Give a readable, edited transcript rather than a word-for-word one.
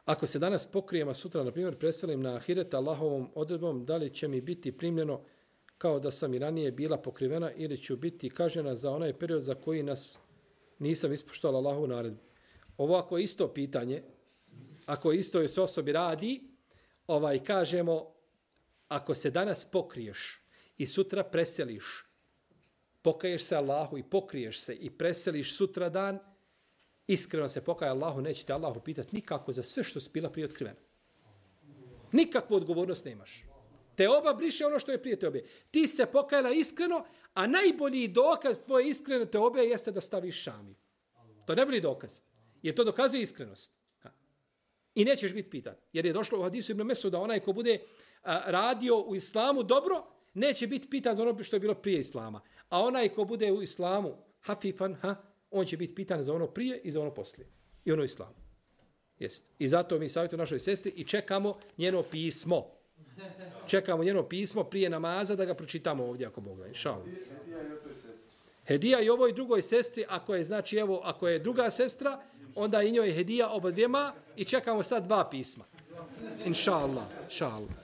Ako se danas pokrijem, a sutra, na primjer, preselim na ahiret Allahovom odredbom, da li će mi biti primljeno kao da sam i ranije bila pokrivena ili ću biti kažnjena za onaj period za koji nas nisam ispoštovala Allahovu naredbu. Ovo ako je isto pitanje, ako isto se osobi radi, kažemo, ako se danas pokriješ i sutra preseliš, pokaješ se Allahu i pokriješ se i preseliš sutra dan, iskreno se pokaj Allahu, neće te Allahu pitati nikako za sve što si bila prije otkrivena. Nikakvu odgovornost nemaš. Te oba briše ono što je prije te obe. Ti se pokajala iskreno, a najbolji dokaz tvoje iskreno te obe jeste da staviš šami. To je najbolji dokaz. Jer to dokazuje iskrenost. I nećeš biti pitan. Jer je došlo u hadisu Ibn Mesuda, onaj ko bude radio u islamu dobro, neće biti pitan za ono što je bilo prije islama. A onaj ko bude u islamu hafifan, on će biti pitan za ono prije i za ono poslije. I ono islamu. Jest. I zato mi savjetujemo našoj sestri i čekamo njeno pismo. Čekamo njeno pismo prije namaza da ga pročitamo ovdje ako Bog da. Inšallah. Hedija i ovoj drugoj sestri, ako je, znači, evo, ako je druga sestra, onda i njoj hedija oba dvijema i čekamo sad 2 pisma. Inšallah. Inšallah.